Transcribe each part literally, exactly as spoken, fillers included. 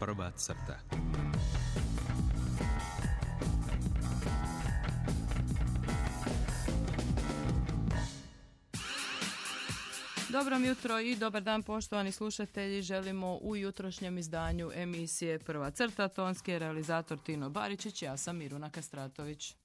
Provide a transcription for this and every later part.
Prva crta. Dobro jutro i dobar dan poštovani slušatelji. Želimo u jutrošnjem izdanju emisije Prva crta. Tonski je realizator Tino Baričić, ja sam Miruna Kastratović.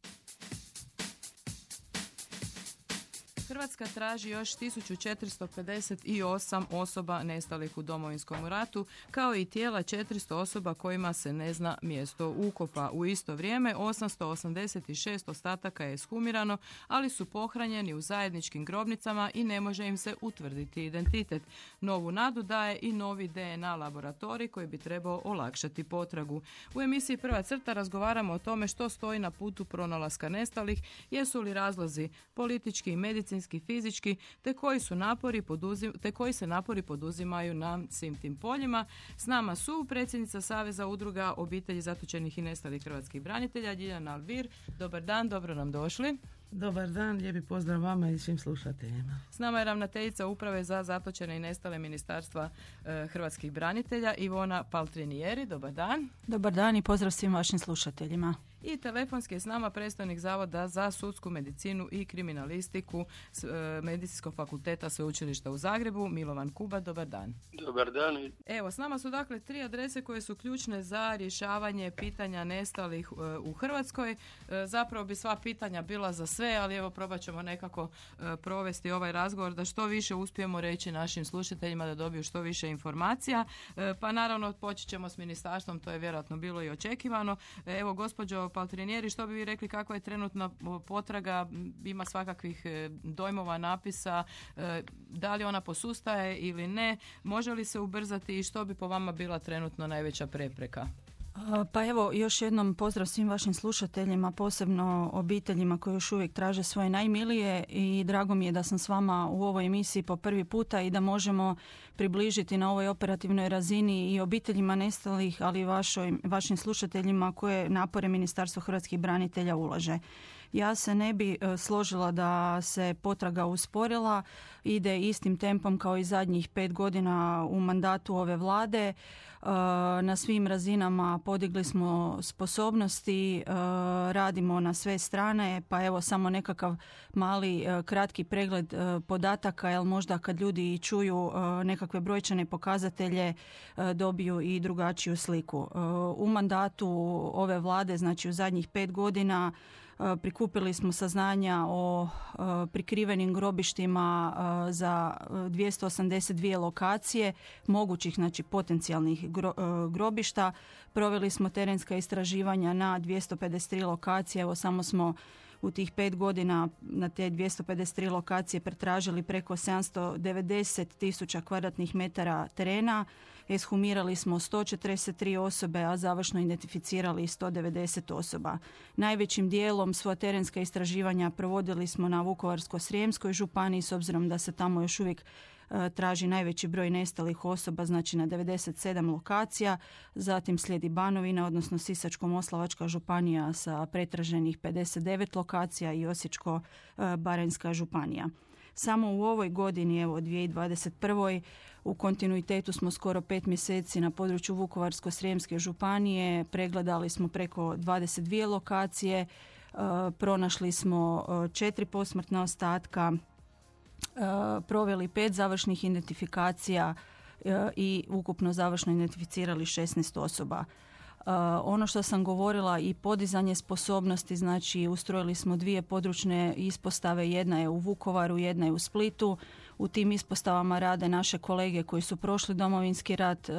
Hrvatska traži još tisuću četiristo pedeset osam osoba nestalih u Domovinskom ratu, kao i tijela četiristo osoba kojima se ne zna mjesto ukopa. U isto vrijeme osamsto osamdeset šest ostataka je ekshumirano, ali su pohranjeni u zajedničkim grobnicama i ne može im se utvrditi identitet. Novu nadu daje i novi D N A laboratorij koji bi trebao olakšati potragu. U emisiji Prva crta razgovaramo o tome što stoji na putu pronalaska nestalih, jesu li razlozi politički i medicinski, fizički, te koji su napori poduzim, te koji se napori poduzimaju na svim tim poljima. S nama su predsjednica Saveza udruga obitelji zatočenih i nestalih hrvatskih branitelja Ljiljana Alvir. Dobar dan, dobro nam došli. Dobar dan, lijepi pozdrav vama i svim slušateljima. S nama je ravnateljica Uprave za zatočene i nestale Ministarstva e, hrvatskih branitelja Ivona Paltrinijeri. Dobar dan. Dobar dan i pozdrav svim vašim slušateljima. I telefonski je s nama predstavnik Zavoda za sudsku medicinu i kriminalistiku s, e, Medicinskog fakulteta Sveučilišta u Zagrebu, Milovan Kuba. Dobar dan. Dobar dan. Evo, s nama su dakle tri adrese koje su ključne za rješavanje pitanja nestalih e, u Hrvatskoj. E, zapravo bi sva pitanja bila za sve, ali evo probat ćemo nekako e, provesti ovaj razgovor da što više uspijemo reći našim slušateljima da dobiju što više informacija. E, pa naravno počet ćemo s ministarstvom, to je vjerojatno bilo i očekivano. E, evo, gospođo Paltrinijeri, što bi vi rekli kako je trenutna potraga, ima svakakvih dojmova, napisa, da li ona posustaje ili ne, može li se ubrzati i što bi po vama bila trenutno najveća prepreka? Pa evo, još jednom pozdrav svim vašim slušateljima, posebno obiteljima koji još uvijek traže svoje najmilije i drago mi je da sam s vama u ovoj emisiji po prvi puta i da možemo približiti na ovoj operativnoj razini i obiteljima nestalih, ali i vašoj, vašim slušateljima koje napore Ministarstvo hrvatskih branitelja ulaže. Ja se ne bi složila da se potraga usporila, ide istim tempom kao i zadnjih pet godina u mandatu ove vlade. Na svim razinama podigli smo sposobnosti, radimo na sve strane, pa evo samo nekakav mali kratki pregled podataka, jer možda kad ljudi čuju nekakve brojčane pokazatelje dobiju i drugačiju sliku. U mandatu ove vlade, znači u zadnjih pet godina, prikupili smo saznanja o prikrivenim grobištima za dvjesto osamdeset dvije lokacije mogućih, znači potencijalnih grobišta. Proveli smo terenska istraživanja na dvjesto pedeset tri lokacije. Evo samo smo u tih pet godina na te dvjesto pedeset tri lokacije pretražili preko sedamsto devedeset tisuća kvadratnih metara terena. Eshumirali smo sto četrdeset tri osobe, a završno identificirali sto devedeset osoba. Najvećim dijelom svoja terenska istraživanja provodili smo na Vukovarsko-srijemskoj županiji, s obzirom da se tamo još uvijek traži najveći broj nestalih osoba, znači na devedeset sedam lokacija. Zatim slijedi Banovina, odnosno Sisačko-moslavačka županija sa pretraženih pedeset devet lokacija i Osječko-baranjska županija. Samo u ovoj godini, evo dvije tisuće dvadeset prve. u kontinuitetu smo skoro pet mjeseci na području Vukovarsko-srijemske županije, pregledali smo preko dvadeset dvije lokacije, pronašli smo četiri posmrtna ostatka, proveli pet završnih identifikacija i ukupno završno identificirali šesnaest osoba. Uh, ono što sam govorila i podizanje sposobnosti, znači ustrojili smo dvije područne ispostave, jedna je u Vukovaru, jedna je u Splitu. U tim ispostavama rade naše kolege koji su prošli Domovinski rat uh,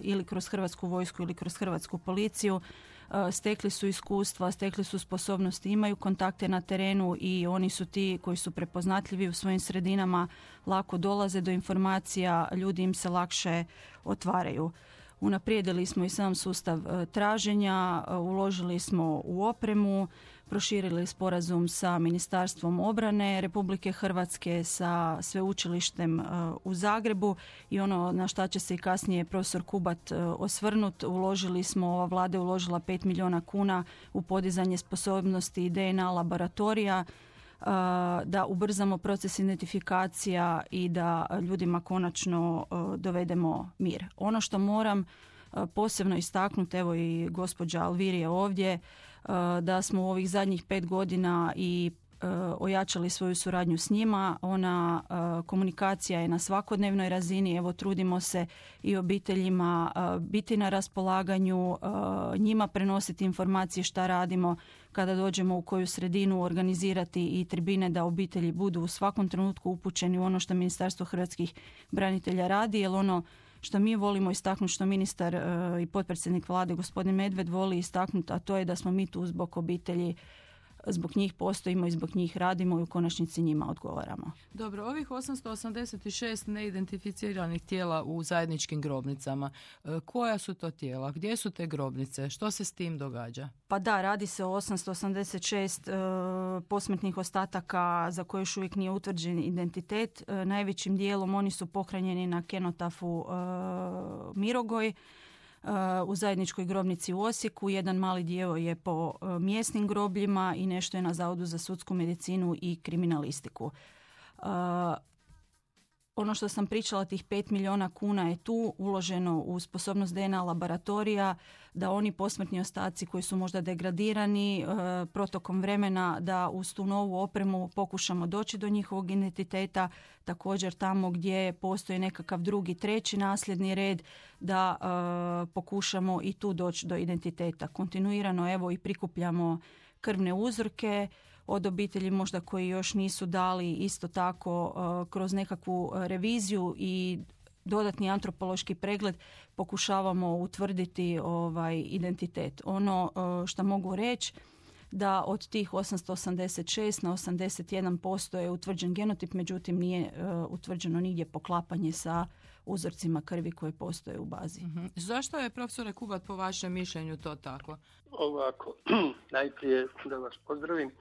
ili kroz Hrvatsku vojsku ili kroz Hrvatsku policiju. Uh, stekli su iskustva, stekli su sposobnosti, imaju kontakte na terenu i oni su ti koji su prepoznatljivi u svojim sredinama, lako dolaze do informacija, ljudi im se lakše otvaraju. Unaprijedili smo i sam sustav traženja, uložili smo u opremu, proširili sporazum sa Ministarstvom obrane Republike Hrvatske, sa sveučilištem u Zagrebu i ono na šta će se i kasnije profesor Kubat osvrnut, uložili smo, ova vlada je uložila pet milijuna kuna u podizanje sposobnosti D N A laboratorija, da ubrzamo proces identifikacija i da ljudima konačno dovedemo mir. Ono što moram posebno istaknuti, evo i gospođa Alvir je ovdje, da smo u ovih zadnjih pet godina i ojačali svoju suradnju s njima. Ona komunikacija je na svakodnevnoj razini. Evo, trudimo se i obiteljima biti na raspolaganju, njima prenositi informacije šta radimo kada dođemo u koju sredinu, organizirati i tribine da obitelji budu u svakom trenutku upućeni u ono što Ministarstvo hrvatskih branitelja radi, jer ono što mi volimo istaknuti, što ministar i potpredsjednik vlade gospodin Medved voli istaknuti, a to je da smo mi tu zbog obitelji, zbog njih postojimo i zbog njih radimo i u konačnici njima odgovaramo. Dobro, ovih osamsto osamdeset šest neidentificiranih tijela u zajedničkim grobnicama, koja su to tijela? Gdje su te grobnice? Što se s tim događa? Pa da, radi se o osamsto osamdeset šest e, posmrtnih ostataka za koje još uvijek nije utvrđen identitet. E, najvećim dijelom oni su pohranjeni na kenotafu e, Mirogoj u zajedničkoj grobnici u Osijeku. Jedan mali dio je po mjesnim grobljima i nešto je na Zavodu za sudsku medicinu i kriminalistiku. Ono što sam pričala, tih pet milijuna kuna je tu uloženo u sposobnost D N A laboratorija, da oni posmrtni ostaci koji su možda degradirani protokom vremena, da uz tu novu opremu pokušamo doći do njihovog identiteta. Također tamo gdje postoji nekakav drugi, treći nasljedni red, da e, pokušamo i tu doći do identiteta. Kontinuirano evo i prikupljamo krvne uzorke od obitelji možda koji još nisu dali, isto tako kroz nekakvu reviziju i dodatni antropološki pregled pokušavamo utvrditi ovaj identitet. Ono što mogu reći da od tih osamsto osamdeset šest na osamdeset jedan posto je utvrđen genotip, međutim nije utvrđeno nigdje poklapanje sa uzorcima krvi koje postoje u bazi. Mm-hmm. Zašto je, profesore Kubat, po vašem mišljenju to tako? Ovako, najprije da vas pozdravim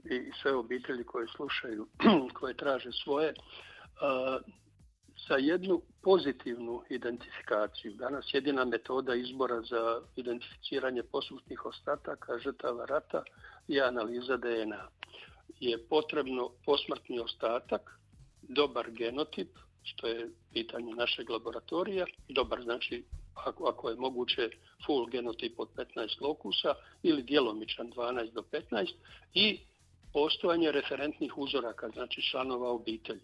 i sve obitelji koje slušaju, koje traže svoje, uh, sa jednu pozitivnu identifikaciju. Danas jedina metoda izbora za identificiranje posmrtnih ostataka žrtava rata je analiza D N A. Je potrebno posmrtni ostatak, dobar genotip, što je pitanje našeg laboratorija, dobar znači ako, ako je moguće full genotip od petnaest lokusa ili djelomičan dvanaest do petnaest i postojanje referentnih uzoraka, znači članova obitelji.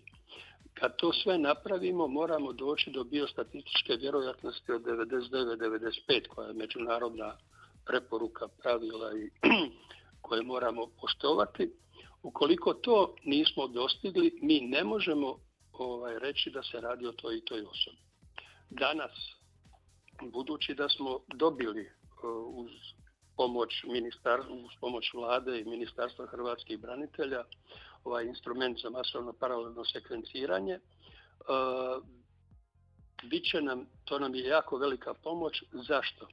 Kad to sve napravimo, moramo doći do biostatističke vjerojatnosti od devedeset devet do devedeset pet, koja je međunarodna preporuka, pravila i koje moramo poštovati. Ukoliko to nismo dostigli, mi ne možemo ovaj, reći da se radi o toj i toj osobi. Danas, budući da smo dobili uh, uz pomoć ministarstva, uz pomoć vlade i Ministarstva hrvatskih branitelja ovaj instrument za masovno paralelno sekvenciranje, uh, bit će nam, to nam je jako velika pomoć. Zašto?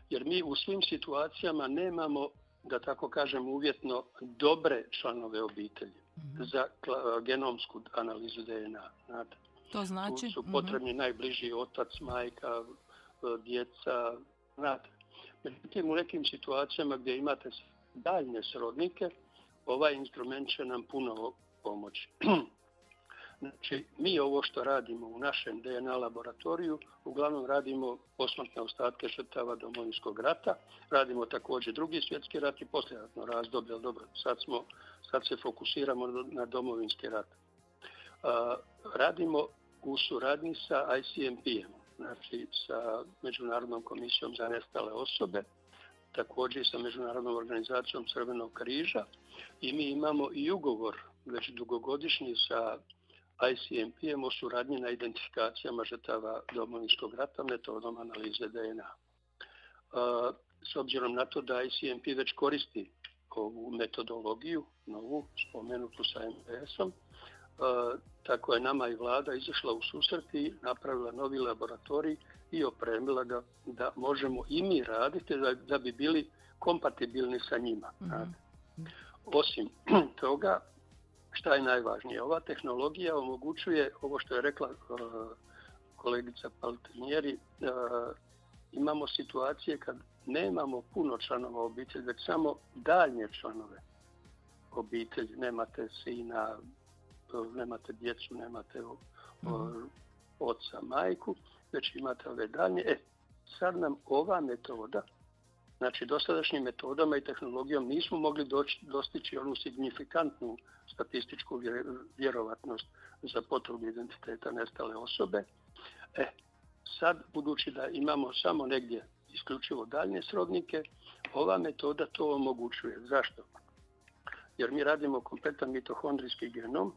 Jer mi u svim situacijama nemamo, da tako kažem uvjetno, dobre članove obitelji mm-hmm. za kla, genomsku analizu D N A. Znate? To znači? Tu su potrebni mm-hmm. najbliži otac, majka, djeca, znate. Međutim, u nekim situacijama gdje imate daljnje srodnike, ovaj instrument će nam puno pomoći. Znači, mi ovo što radimo u našem D N A laboratoriju, uglavnom radimo posmrtne ostatke žrtava Domovinskog rata, radimo također drugi svjetski rat i poslijeratno razdoblje, ali dobro, sad, smo, sad se fokusiramo na Domovinski rat. A, radimo u suradnji sa I C M P-em, znači sa Međunarodnom komisijom za nestale osobe, također i sa Međunarodnom organizacijom Crvenog križa i mi imamo i ugovor već dugogodišnji sa I C M P-em o suradnji na identifikacijama žrtava Domovinskog rata metodom analize D N A. S obzirom na to da I C M P već koristi ovu metodologiju, novu, spomenutu sa M P S-om, tako je nama i vlada izašla u susret i napravila novi laboratorij i opremila ga da možemo i mi raditi da, da bi bili kompatibilni sa njima. Mm-hmm. Osim toga, šta je najvažnije? Ova tehnologija omogućuje, ovo što je rekla uh, kolegica Paltinieri, uh, imamo situacije kad nemamo puno članova obitelji, već samo daljnje članove obitelji. Nemate sina, nemate djecu, nemate mm-hmm. oca, majku, već imate ove daljnje. E, sad nam ova metoda, znači dosadašnjim metodama i tehnologijom nismo mogli doći, dostići onu signifikantnu statističku vjerovatnost za potvrdu identiteta nestale osobe. E, sad, budući da imamo samo negdje isključivo daljnje srodnike, ova metoda to omogućuje. Zašto? Jer mi radimo kompletan mitohondrijski genom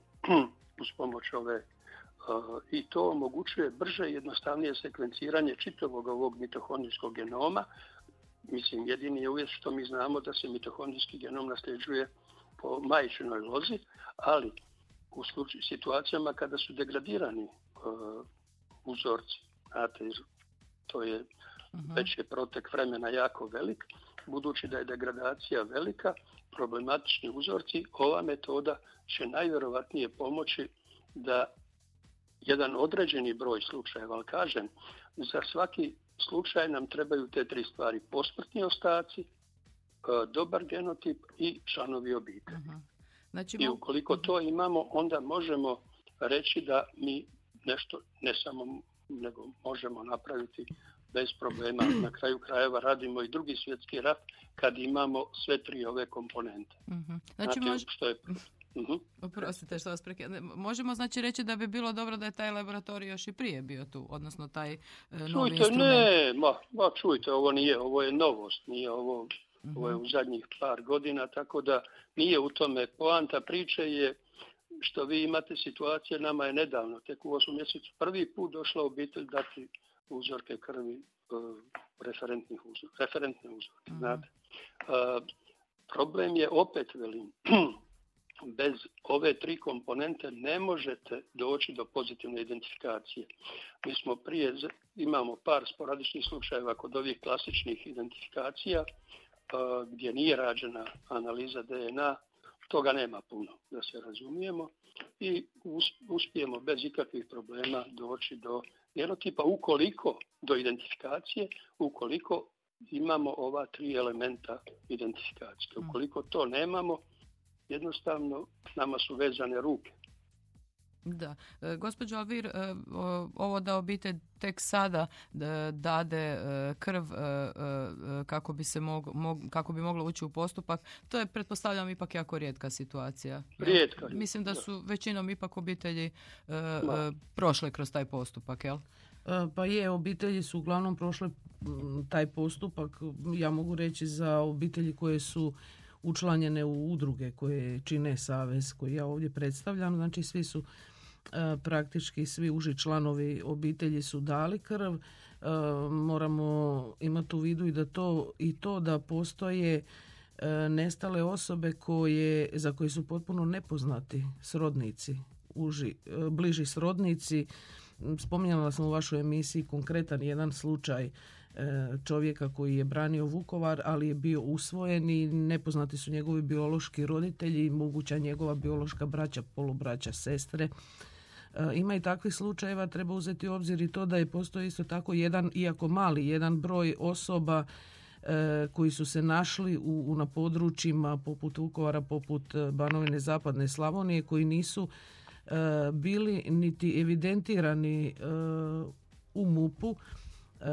uz pomoć ove uh, i to omogućuje brže i jednostavnije sekvenciranje čitavog ovog mitohondrijskog genoma. Mislim, jedini je uvjet što mi znamo da se mitohondrijski genom nasljeđuje po majčinoj lozi, ali u slučaju, situacijama kada su degradirani uh, uzorci, znate, to je uh-huh. već je protek vremena jako velik, budući da je degradacija velika, problematični uzorci, ova metoda će najvjerovatnije pomoći da jedan određeni broj slučajeva, ali kažem, za svaki slučaj nam trebaju te tri stvari: posmrtni ostaci, dobar genotip i članovi obitelji. Uh-huh. Znači, I ukoliko to imamo, onda možemo reći da mi nešto ne samo nego možemo napraviti bez problema. Na kraju krajeva radimo i drugi svjetski rat kad imamo sve tri ove komponente. Uh-huh. Znači, znači mož... što je... Uh-huh. Oprostite što vas prekidam. Možemo znači reći da bi bilo dobro da je taj laboratorij još i prije bio tu, odnosno taj e, novi čujte, instrument. Ne, ma, ma čujte, ovo nije, ovo je novost, nije ovo, uh-huh. ovo je u zadnjih par godina, tako da nije u tome. Poanta priče je što vi imate situacije, nama je nedavno, tek u osmom mjesecu, prvi put došla obitelj dati uzorke krvi, uh, referentnih uzor, referentne uzorke, uh-huh. znate. Uh, problem je, opet velim, bez ove tri komponente ne možete doći do pozitivne identifikacije. Mi smo prije, imamo par sporadičnih slučajeva kod ovih klasičnih identifikacija uh, gdje nije rađena analiza D N A, toga nema puno, da se razumijemo, i uspijemo bez ikakvih problema doći do genotipa ukoliko, do identifikacije, ukoliko imamo ova tri elementa identifikacije. Ukoliko to nemamo, jednostavno nama su vezane ruke. Da. E, gospođo Alvir, e, ovo da obitelj tek sada e, dade e, krv e, e, kako bi se mog, mog, kako bi moglo ući u postupak, to je, pretpostavljam, ipak jako rijetka situacija. Rijetka. Ja, mislim da su većinom ipak obitelji e, e, prošle kroz taj postupak, jel? Pa je, obitelji su uglavnom prošle taj postupak. Ja mogu reći za obitelji koje su učlanjene u udruge koje čine savez koji ja ovdje predstavljam, znači svi su e, praktički svi uži članovi obitelji su dali krv. E, moramo imati u vidu i da to i to da postoje e, nestale osobe koje za koje su potpuno nepoznati srodnici, uži, e, bliži srodnici. Spominjala sam u vašoj emisiji konkretan jedan slučaj čovjeka koji je branio Vukovar, ali je bio usvojen i nepoznati su njegovi biološki roditelji i moguća njegova biološka braća, polubraća, sestre. Ima i takvih slučajeva, treba uzeti u obzir i to da je postoji isto tako jedan, iako mali, jedan broj osoba koji su se našli u, u na područjima poput Vukovara, poput Banovine, Zapadne Slavonije, koji nisu bili niti evidentirani u MUP-u. E,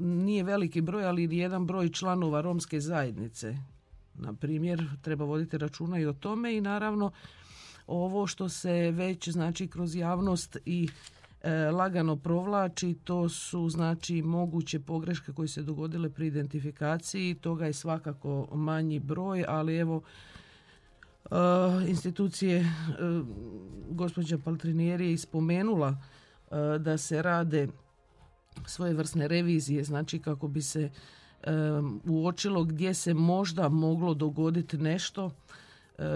nije veliki broj, ali jedan broj članova romske zajednice. Na primjer, treba voditi računa i o tome i naravno ovo što se već znači kroz javnost i e, lagano provlači, to su znači moguće pogreške koje se dogodile pri identifikaciji. Toga je svakako manji broj, ali evo e, institucije, e, gospođa Paltrinieri je ispomenula e, da se rade svojevrsne revizije, znači kako bi se um, uočilo gdje se možda moglo dogoditi nešto, uh,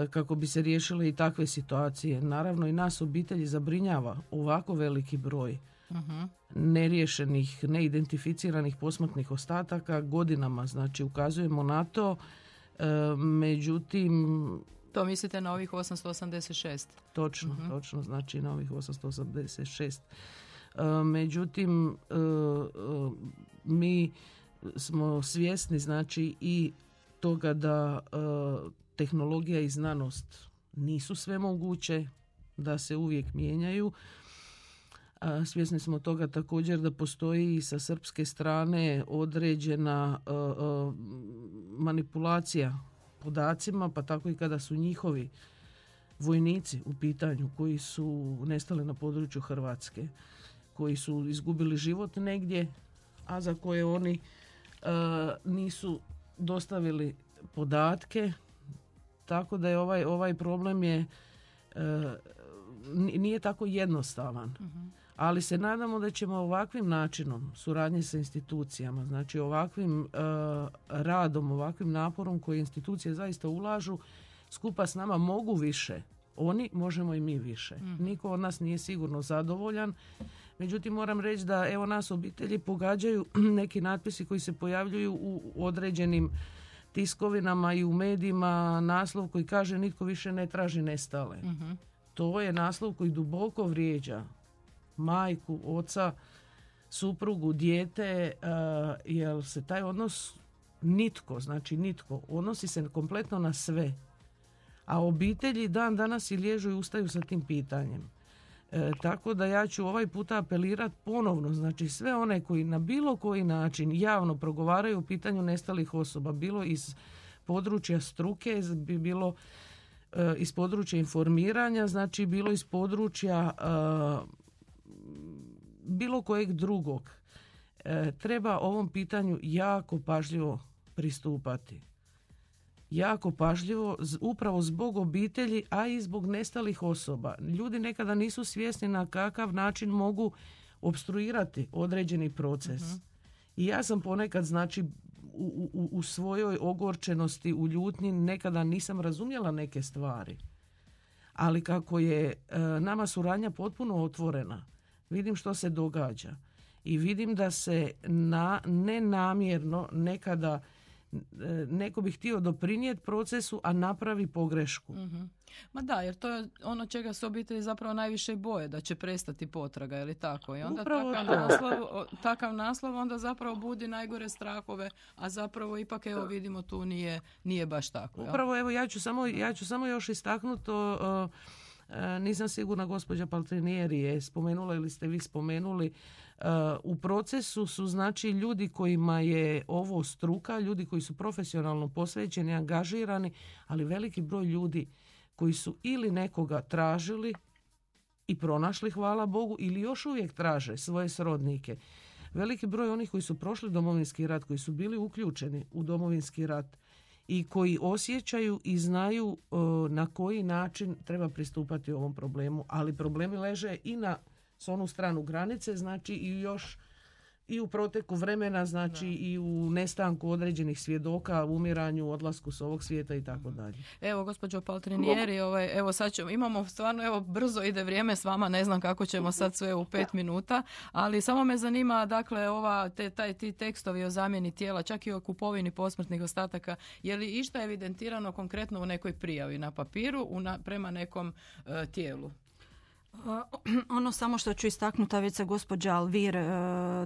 kako bi se riješile i takve situacije. Naravno i nas obitelji zabrinjava ovako veliki broj uh-huh. neriješenih, neidentificiranih posmrtnih ostataka godinama, znači ukazujemo na to, uh, međutim... To mislite na ovih osamsto osamdeset šest? Točno, uh-huh. točno, znači na ovih osamsto osamdeset šest. Međutim, mi smo svjesni znači i toga da tehnologija i znanost nisu sve moguće, da se uvijek mijenjaju. Svjesni smo toga također da postoji i sa srpske strane određena manipulacija podacima, pa tako i kada su njihovi vojnici u pitanju koji su nestali na području Hrvatske, koji su izgubili život negdje, a za koje oni nisu dostavili podatke. Tako da je ovaj, ovaj problem je nije tako jednostavan. Uh-huh. Ali se nadamo da ćemo ovakvim načinom suradnje sa institucijama, znači ovakvim uh, radom, ovakvim naporom koje institucije zaista ulažu, skupa s nama mogu više. Oni, možemo i mi više. Mm. Niko od nas nije sigurno zadovoljan. Međutim, moram reći da evo nas obitelji pogađaju neki natpisi koji se pojavljuju u određenim tiskovinama i u medijima, naslov koji kaže nitko više ne traži nestale. Mm-hmm. To je naslov koji duboko vrijeđa majku, oca, suprugu, dijete, uh, jer se taj odnos nitko, znači nitko, odnosi se kompletno na sve. A obitelji dan danas i liježu i ustaju sa tim pitanjem. E, tako da ja ću ovaj puta apelirati ponovno, znači sve one koji na bilo koji način javno progovaraju o pitanju nestalih osoba, bilo iz područja struke, bilo e, iz područja informiranja, znači bilo iz područja e, bilo kojeg drugog. E, treba ovom pitanju jako pažljivo pristupati. Jako pažljivo, upravo zbog obitelji, a i zbog nestalih osoba. Ljudi nekada nisu svjesni na kakav način mogu opstruirati određeni proces. Uh-huh. I ja sam ponekad, znači, u, u, u svojoj ogorčenosti, u ljutnji, nekada nisam razumjela neke stvari. Ali kako je e, nama suradnja potpuno otvorena, vidim što se događa. I vidim da se na, nenamjerno nekada neko bi htio doprinijeti procesu, a napravi pogrešku. Mm-hmm. Ma da, jer to je ono čega se obitelji zapravo najviše boje, da će prestati potraga, ili tako? I onda takav naslov, takav naslov onda zapravo budi najgore strahove, a zapravo ipak evo vidimo tu nije, nije baš tako. Upravo evo ja ću samo, ja ću samo još istaknuti, uh, uh, nisam sigurna, gospođa Paltrinieri je spomenula ili ste vi spomenuli, Uh, u procesu su znači ljudi kojima je ovo struka, ljudi koji su profesionalno posvećeni, angažirani, ali veliki broj ljudi koji su ili nekoga tražili i pronašli, hvala Bogu, ili još uvijek traže svoje srodnike. Veliki broj onih koji su prošli Domovinski rat, koji su bili uključeni u Domovinski rat i koji osjećaju i znaju uh, na koji način treba pristupati ovom problemu, ali problemi leže i na s onu stranu granice, znači i još i u proteku vremena, znači da. I u nestanku određenih svjedoka, umiranju, odlasku s ovog svijeta i tako dalje. Evo, gospođo Paltrinieri, ovaj, evo sad ćemo, imamo stvarno, evo, brzo ide vrijeme s vama, ne znam kako ćemo sad sve u pet minuta, ali samo me zanima, dakle, ova, te, taj, ti tekstovi o zamjeni tijela, čak i o kupovini posmrtnih ostataka, je li išta evidentirano konkretno u nekoj prijavi na papiru u na, prema nekom uh, tijelu? Ono samo što ću istaknuti, a već se gospođa Alvir e,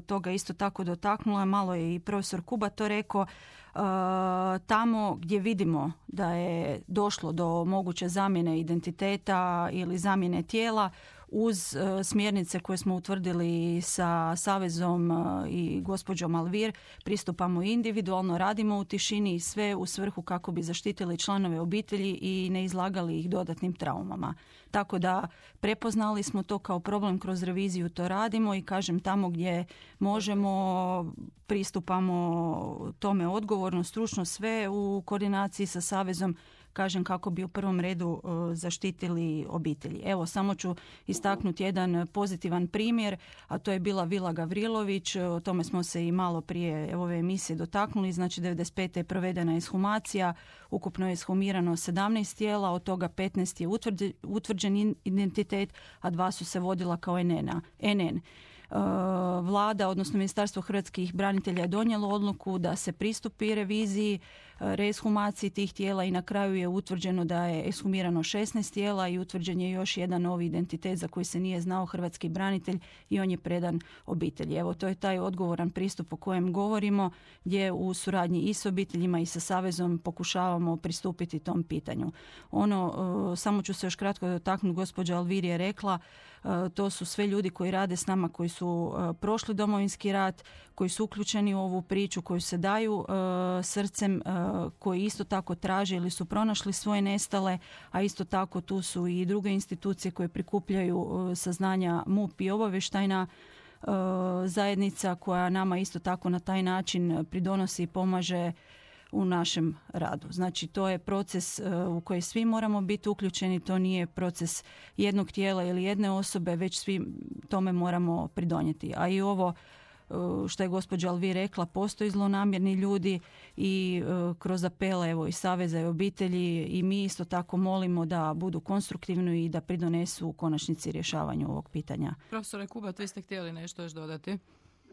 toga isto tako dotaknula, malo je i profesor Kuba to rekao, e, tamo gdje vidimo da je došlo do moguće zamjene identiteta ili zamjene tijela, uz e, smjernice koje smo utvrdili sa Savezom e, i gospođom Alvir, pristupamo individualno, radimo u tišini i sve u svrhu kako bi zaštitili članove obitelji i ne izlagali ih dodatnim traumama. Tako da prepoznali smo to kao problem, kroz reviziju to radimo i kažem tamo gdje možemo pristupamo tome odgovorno, stručno, sve u koordinaciji sa Savezom, kažem kako bi u prvom redu uh, zaštitili obitelji. Evo, samo ću istaknuti jedan pozitivan primjer, a to je bila Vila Gavrilović, o tome smo se i malo prije ove emisije dotaknuli, znači devedeset pete je provedena ishumacija, ukupno je ishumirano sedamnaest tijela, od toga petnaest je utvrđen, utvrđen identitet, a dva su se vodila kao en en. Vlada, odnosno Ministarstvo hrvatskih branitelja je donijelo odluku da se pristupi reviziji reeshumaciji tih tijela i na kraju je utvrđeno da je ekshumirano šesnaest tijela i utvrđen je još jedan novi identitet za koji se nije znao, hrvatski branitelj, i on je predan obitelji. Evo, to je taj odgovoran pristup o kojem govorimo, gdje u suradnji i s obiteljima i sa Savezom pokušavamo pristupiti tom pitanju. Ono, samo ću se još kratko dotaknuti, gospođa Alvir je rekla, to su sve ljudi koji rade s nama, koji su prošli Domovinski rat, koji su uključeni u ovu priču, koji se daju srcem, koji isto tako traže ili su pronašli svoje nestale, a isto tako tu su i druge institucije koje prikupljaju saznanja, M U P i obavještajna zajednica koja nama isto tako na taj način pridonosi i pomaže u našem radu. Znači, to je proces u koji svi moramo biti uključeni, to nije proces jednog tijela ili jedne osobe, već svi tome moramo pridonijeti. A i ovo što je gospođa Alvi rekla, postoji zlonamjerni ljudi i kroz apele evo, i Saveza i obitelji i mi isto tako molimo da budu konstruktivni i da pridonesu u konačnici rješavanju ovog pitanja. Profesore Kubat, vi ste htjeli nešto još dodati?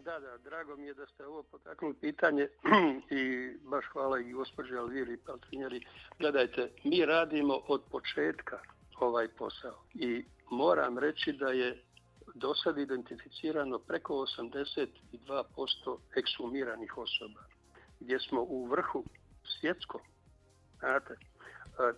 Da, da, drago mi je da ste ovo potaknuli pitanje i baš hvala i gospođi Alviri i Paltrinjeri. Gledajte, mi radimo od početka ovaj posao i moram reći da je do sad identificirano preko osamdeset dva posto ekshumiranih osoba, gdje smo u vrhu svjetskom. Znate? E,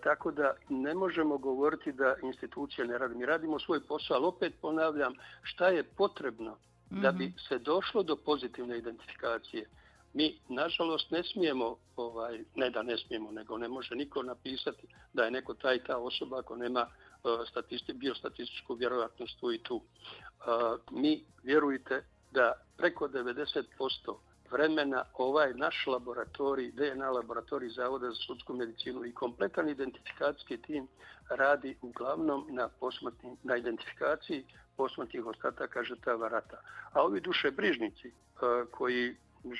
tako da ne možemo govoriti da institucije ne rade. Mi radimo svoj posao, ali opet ponavljam, šta je potrebno da bi se došlo do pozitivne identifikacije. Mi, nažalost, ne smijemo, ovaj, ne da ne smijemo, nego ne može niko napisati da je neko ta i ta osoba ako nema uh, statisti, biostatističku vjerojatnost tu i tu. Uh, mi, vjerujte, da preko devedeset posto vremena ovaj naš laboratorij, D N A laboratorij Zavoda za sudsku medicinu i kompletan identifikacijski tim radi uglavnom na posmrtnim, na identifikaciji posmrtnih ostataka žrtava rata. A ovi dušebrižnici uh, koji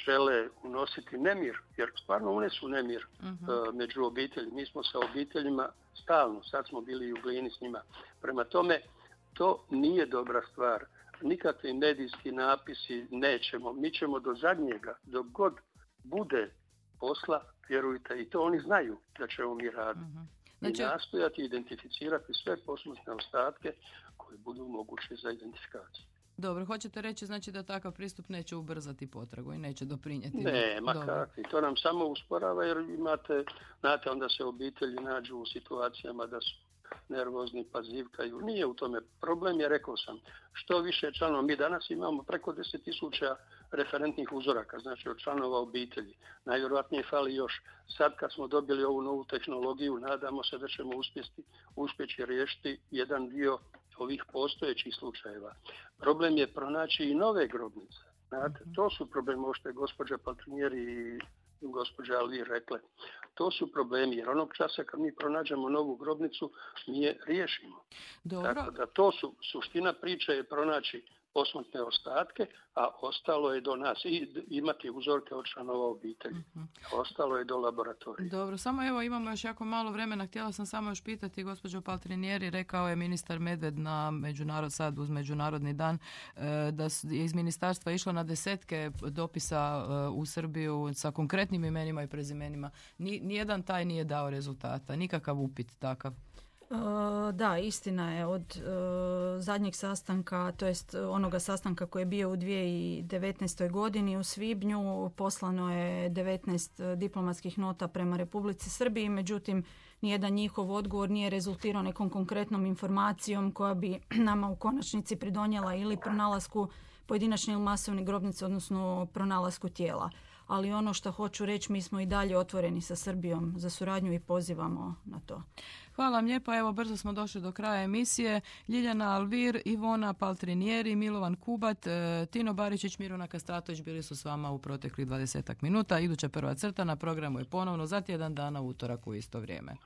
žele unositi nemir, jer stvarno unesu nemir uh-huh. uh, među obitelji. Mi smo sa obiteljima stalno, sad smo bili u Glini s njima. Prema tome, to nije dobra stvar. Nikakvi medijski napisi nećemo. Mi ćemo do zadnjega, dok god bude posla, vjerujte, i to oni znaju da ćemo mi raditi. Uh-huh. Znači... I nastojati identificirati sve posmrtne ostatke koji budu mogući za identifikaciju. Dobro, hoćete reći znači da takav pristup neće ubrzati potragu i neće doprinijeti? Ne, ma kakvi. To nam samo usporava jer imate, znate, onda se obitelji nađu u situacijama da su nervozni, pa zivkaju. Nije u tome. Problem je, rekao sam, što više članova. Mi danas imamo preko deset tisuća referentnih uzoraka, znači od članova obitelji. Najvjerojatnije fali još. Sad kad smo dobili ovu novu tehnologiju, nadamo se da ćemo uspjeti, uspjeći riješiti jedan dio ovih postojećih slučajeva. Problem je pronaći i nove grobnice. Znate, to su problemi, ovo što je gospođa Paltrinjeri i gospođa Alvir rekle. To su problemi, jer onog časa kad mi pronađemo novu grobnicu, mi je riješimo. Dobro. Tako da to su, suština priče je pronaći posmrtne ostatke, a ostalo je do nas i imati uzorke od članova obitelji. Uh-huh. Ostalo je do laboratorija. Dobro, samo evo imamo još jako malo vremena. Htjela sam samo još pitati gospođo Paltrinjeri, rekao je ministar Medved na međunarod, sad uz Međunarodni dan, da je iz ministarstva išlo na desetke dopisa u Srbiju sa konkretnim imenima i prezimenima. Nijedan taj nije dao rezultata, nikakav upit takav. Da, istina je. Od uh, zadnjeg sastanka, to jest onoga sastanka koji je bio u dvije tisuće devetnaestoj godini u svibnju, poslano je devetnaest diplomatskih nota prema Republici Srbiji, međutim nijedan njihov odgovor nije rezultirao nekom konkretnom informacijom koja bi nama u konačnici pridonijela ili pronalasku pojedinačne ili masovne grobnice, odnosno pronalasku tijela. Ali ono što hoću reći, mi smo i dalje otvoreni sa Srbijom za suradnju i pozivamo na to. Hvala vam lijepa. Evo, brzo smo došli do kraja emisije. Ljiljana Alvir, Ivona Paltrinjeri, Milovan Kubat, Tino Baričić, Miruna Kastratović bili su s vama u proteklih dvadesetak minuta. Iduća prva crta na programu je ponovno za tjedan dana u utorak u isto vrijeme.